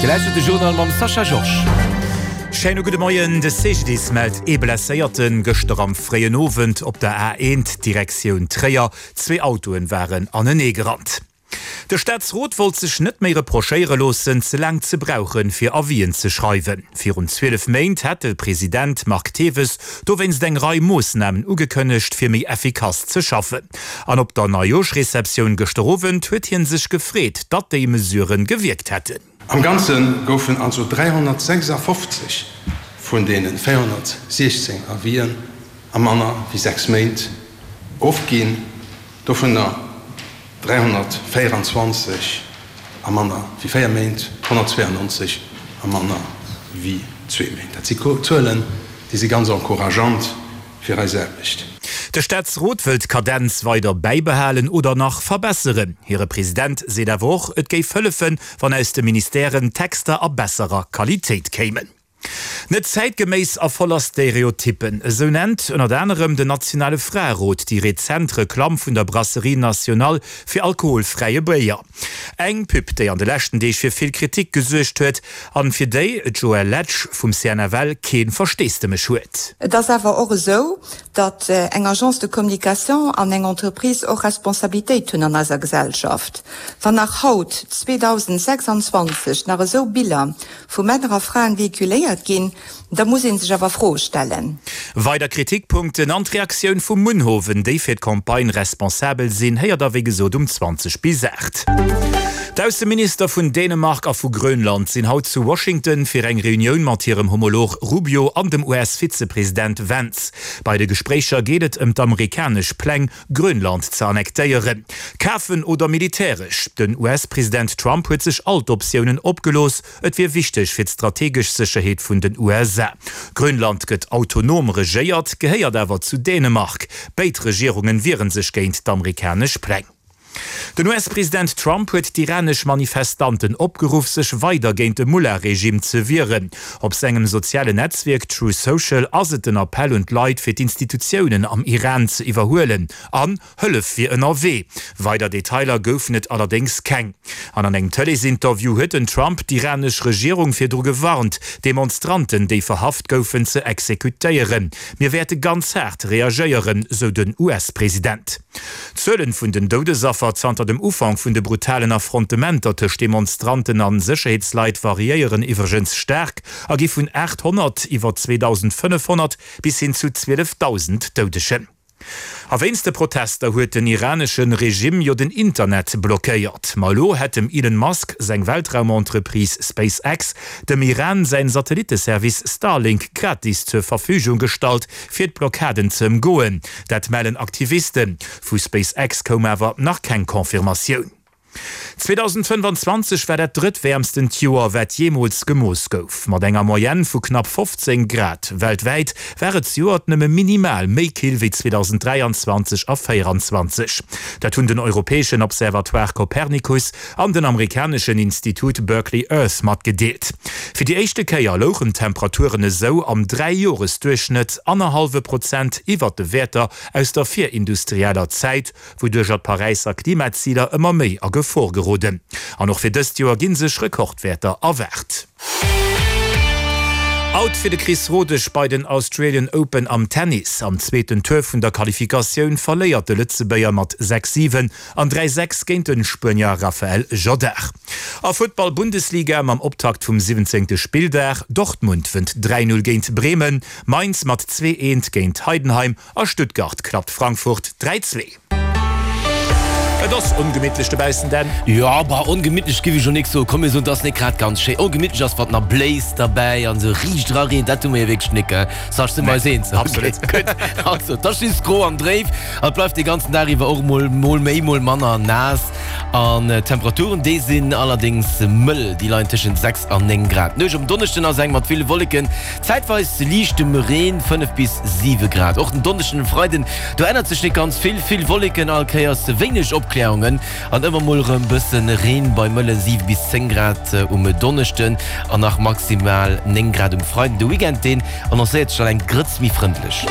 Dir lauschtert de Journal mam Sascha Georges. Schéine gudde Moien. De CGDIS mellt ee Blesséierten gëschter am fréien Owend op der A1 Direktioun Tréier. Zwee Autoen waren anenee gerannt. De Staatsrot wollt sech net méi reprochéiere loossen, ze laang ze brauchen, fir Avisen ze schreiwen. Virun 12 Méint hat de President Marc Thewes dowéinst eng Rei Moossnamen ugekënnegt, fir méi effikass ze schaffen. An op der Neijooschreceptioun gëschter Owend huet hie sech gefreet, datt déi Mesurë gewierkt hätten. Am Ganze goufen also 356 vun deene 416 Avisen a manner wéi 6 Méint ofginn, dovunner 324 a manner wéi 4 Méint, 192 a manner wéi zwee Méint. Dat si Zuelen, déi si ganz encourageant fir eis Aarbecht. De Staatsrot wëllt d'Kadenz weider bäibehalen oder nach verbesseren. Hire President seet awer och, et géif hëllefen, wann aus de Ministèren Texter a besserer Qualitéit kéimen. Net zäitgeméiss a voller Stereotyppen, esou nennt ënnert anerem den nationale Fraerot déi rezent Reklamm vun der Brasserie Nationale fir alkoholfräie Béier. Eng Pub, déi an de leschten Deeg fir vill Kritik gesuergt huet an fir déi d'Joëlle Letsch vum CNFL kee Versteesdemech huet. Et ass awer och esou, datt eng Agence de communication an eng Entreprise och Responsabilitéit hunn an eiser Gesellschaft. Wann nach haut, 2026, nach esou Biller vu Männer a Fraen véhiculéiert ginn, da muss ee sech awer Froe stellen. Weider Kritikpunkten an d'Reaktioun vu Munhowen, déi fir d'Campagne responsabel sinn, héiert der wéi gesot um 20 bis 8. D'Ausseminister vun Dänemark a vu Grönland sinn haut zu Washington fir eng Reunioun mat hirem Homolog Rubio an dem US-Vizepresident Vance. Bei de Gespréicher geet et ëm d'amerikanesch Pläng, Grönland ze annektéieren. Kafen oder militäresch? Den US-President Trump huet sech all d'Optiounen opgelooss. Et wier wichteg fir d'strategesch Sécherheet vun den USA. Grönland gëtt autonom regéiert, gehéiert awer zu Dänemark. Béid Regierungen wiere sech géint d'amerikanesch Pläng. Den US-President Trump huet d'iranesch Manifestanten opgeruff, sech weider géint de Mullah-Regime ze wieren. Op sengem sozialen Netzwierk Truth Social ass et den Appell un d'Leit, fir d'Institutiounen am Iran ze iwwerhuelen. An Hëllef wier ënnerwee. Weider Detailer goufen et allerdéngs keng. An an engem Tëleesinterview huet den Trump d'iranesch Regierung virdru gewarnt, Demonstranten, déi verhaft goufen, ze exekutéieren. Mir wäerte ganz haart reagéieren, sou den US-President. D'Zuelen vun den Doudesaffer zanter dem Ufank vun de brutalen Affrontementer tëscht Demonstranten an Sécherheetsleit variéieren iwwregens staark a gi vun 800 iwwer 2.500 bis hin zu 12.000 Doudegen. A wéinst de Protester huet den iranesche Regime jo den Internet blockéiert. Ma elo hätt dem Elon Musk seng Weltraumentreprise SpaceX dem Iran säin Satellitteservice Starlink gratis zur Verfügung gestallt, fir d'Blockaden ze ëmgoen. Dat mellen Aktivisten. Vu SpaceX koum awer nach keng Confirmatioun. 2025 war dat drëttwäermstent Joer, wat jeemools gemooss gouf. Mat enger Moyenne vu knapp 15 Grad weltwäit war et zejoert nëmme minimal méi kill wéi 2023 a 2024. Dat hunn den europäeschen Observatoire Copernicus an den amerikaneschen Institut Berkeley Earth matgedeelt. Fir déi éischte Kéier louchen d'Temperaturen esou am Dräijoresduerchschnëtt annerhallwe Prozent iwwert de Wäerter aus der virindustrieller Zäit, wouduercher d'Paräisser Klimaziler ëmmer méi a Gefor geroden. An och fir dëst Joer gi sech Rekordwäerter erwaart. Out fir de Chris Rodesch bei den Australian Open am Tennis. Am zweeten Tour vun der Qualifikatioun verléiert de Lëtzebuerger mat 6, 7 an 3, 6 géint de Spuenier Rafael Jodar. A Futtball Bundesliga mam Optakt vum 17. Spilldag, Dortmund wënnt 3, 0 géint Bremen, Mainz mat 2, 1 géint Heidenheim A Stuttgart klappt Frankfurt 3, 2. Et ass ongemittlech dobaussen, Dan. Jo, bah, ongemittlech giff ech lo nik soen. Komm mir soen, et ass nik grad ganz schéi. Ongemittlech ass, wann nach bléist derbäi an esou riicht era reent. Dat hu mir jo wierklech nik, gell? Sascha, si mer eis eens? Absolut. Gutt. Also, et ass just gro an dréif an et bleift dee ganzen Dag iwwer och mol, mol méi, mol manner naass. An d'Temperaturen, déi sinn allerdéngs mëll, déi leien tëschent 6 an 9 Grad. D'Nuecht op en Donneschden ass eng mat ville Wolleken, Zäitweis liichtem Reen, 5 bis 7 Grad. Och den Donneschden an Freiden, do ännert sech net ganz vill, vill Wolleken, all Kéiers wéineg Opkläerungen an ëmmer mol erëm bëssen Reen bei mëlle 7 bis 10 Grad um Donneschden an nach maximal 9 Grad um Freiden. De Weekend, deen annoncéiert sech dann eng Grëtz méi frëndlech.